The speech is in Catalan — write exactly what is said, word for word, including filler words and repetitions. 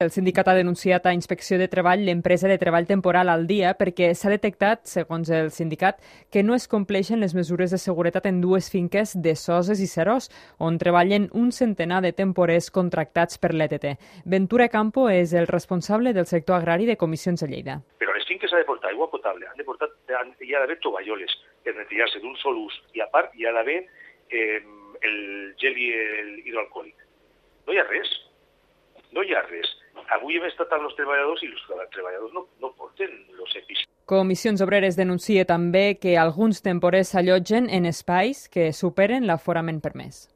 El sindicat ha denunciat a Inspecció de Treball l'empresa de treball temporal al dia perquè s'ha detectat, segons el sindicat, que no es compleixen les mesures de seguretat en dues finques de Soses i Seròs, on treballen un centenar de temporers contractats per l'E T T. Ventura Campo és el responsable del sector agrari de Comissions de Lleida. Però a les finques ha de portar aigua potable, han de portar, hi ha d'haver tovalloles per netejar-se d'un sol ús i a part hi ha d'haver eh, el gel i el hidroalcohòlic. No hi ha res, no hi ha res. Avui hem estat amb els treballadors i els treballadors no, no porten els EPIs. Comissions Obreres denuncia també que alguns temporers s'allotgen en espais que superen l'aforament permès.